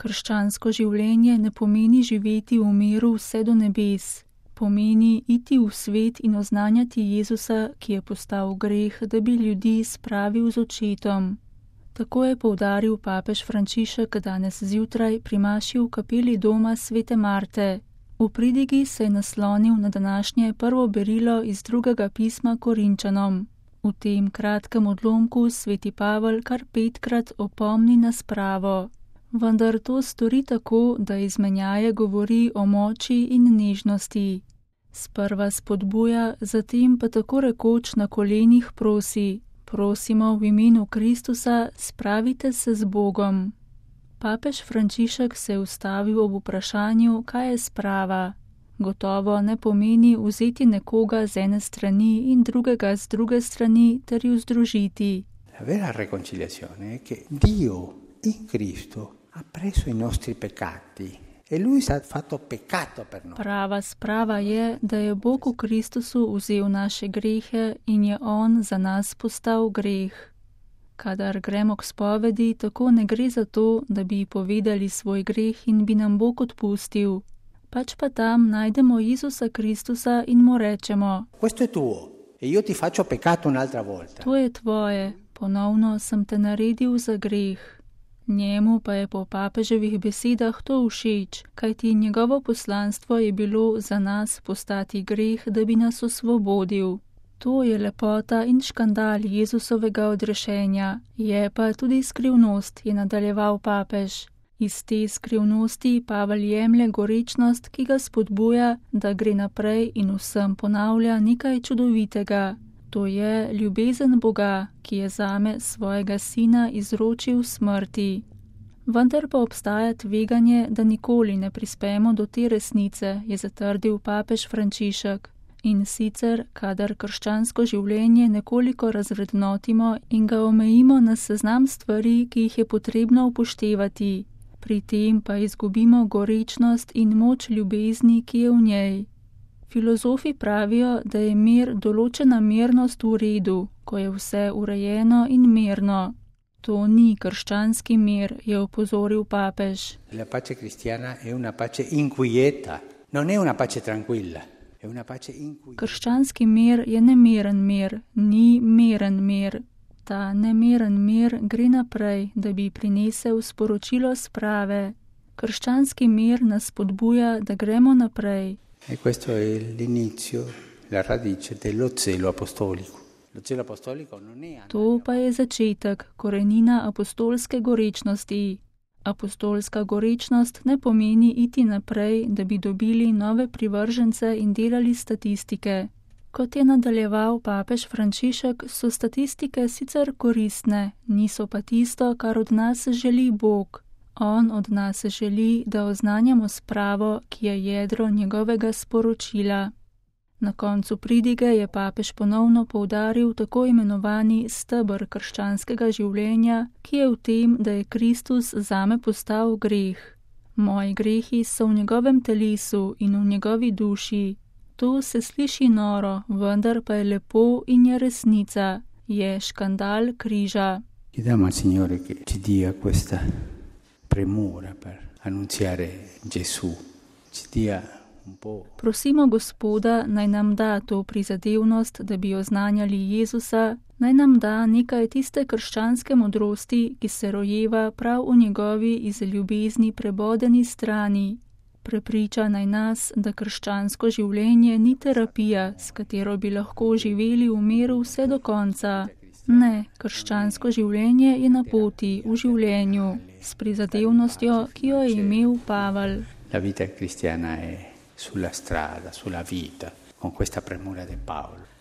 Krščansko življenje ne pomeni živeti v miru vse do nebes. Pomeni iti v svet in oznanjati Jezusa, ki je postal greh, da bi ljudi spravil z očetom. Tako je poudaril papež Frančišek danes zjutraj pri maši v kapeli doma svete Marte. V pridigi se je naslonil na današnje prvo berilo iz drugega pisma Korinčanom. V tem kratkem odlomku sveti Pavel kar 5-krat opomni na spravo. Vendar to stori tako, da izmenjaje govori o moči in nežnosti. Sprva spodbuja, zatem pa tako rekoč na kolenih prosi. Prosimo v imenu Kristusa, spravite se z Bogom. Papež Frančišek se je ustavil ob vprašanju, kaj je sprava. Gotovo ne pomeni vzeti nekoga z ene strani in drugega z druge strani ter ju združiti. La vera reconciliazione è che Dio in Cristo ha preso i nostri peccati e lui si è fatto peccato per noi. Prava sprava je, da je Bog v Kristusu vzel naše grehe in je on za nas postal greh. Kadar gremo k spovedi, tako ne gre za to, da bi povedali svoj greh in bi nam Bog odpustil. Pač pa tam najdemo Jezusa Kristusa in mu rečemo: Questo è tuo e io ti faccio peccato un'altra volta. To je tvoje, ponovno sem te naredil za greh. Njemu pa je po papeževih besedah to všeč, kajti njegovo poslanstvo je bilo za nas postati greh, da bi nas osvobodil. To je lepota in škandal Jezusovega odrešenja, je pa tudi skrivnost, je nadaljeval papež. Iz te skrivnosti Pavel jemlje gorečnost, ki ga spodbuja, da gre naprej in vsem ponavlja nekaj čudovitega. To je ljubezen Boga, ki je zame svojega sina izročil smrti. Vendar pa obstaja tveganje, da nikoli ne prispemo do te resnice, je zatrdil papež Frančišek. In sicer, kadar krščansko življenje nekoliko razvrednotimo in ga omejimo na seznam stvari, ki jih je potrebno upoštevati. Pri tem pa izgubimo gorečnost in moč ljubezni, ki je v njej. Filozofi pravijo, da je mir določena mirnost v redu, ko je vse urejeno in mirno. To ni krščanski mir, je opozoril papež. La pace cristiana è una pace inquieta, non è una pace tranquilla, è una pace inquieta. Krščanski mir je nemiren mir, ni miren mir. Ta nemiren mir gre naprej, da bi prinesel sporočilo sprave. Krščanski mir nas spodbuja, da gremo naprej. E questo è l'inizio, la radice dello zelo apostolico. Lo zelo apostolico non è... To pa je začetek, korenina apostolske gorečnosti. Apostolska gorečnost ne pomeni iti naprej, da bi dobili nove privržence in delali statistike. Kot je nadaljeval papež Frančišek, so statistike sicer koristne, niso pa tisto, kar od nas želi Bog. On od nas želi, da oznanjamo spravo, ki je jedro njegovega sporočila. Na koncu pridige je papež ponovno poudaril tako imenovani steber krščanskega življenja, ki je v tem, da je Kristus zame postal greh. Moji grehi so v njegovem telesu in v njegovi duši. To se sliši noro, vendar pa je lepo in je resnica. Je škandal križa. Chiediamo al Signore che ci dia questa premura per annunziare Gesù, ci dia un po'. Prosimo Gospoda, naj nam da to prizadevnost, da bi oznanjali Jezusa, naj nam da nekaj tiste krščanske modrosti, ki se rojeva prav v njegovi iz ljubezni prebodeni strani. Prepriča naj nas, da krščansko življenje ni terapija, s katero bi lahko živeli v miru vse do konca. Ne, krščansko življenje je na poti, v življenju, s prizadevnostjo, ki jo je imel Pavel. La vita cristiana è sulla strada, sulla vita, con questa premura di Paolo.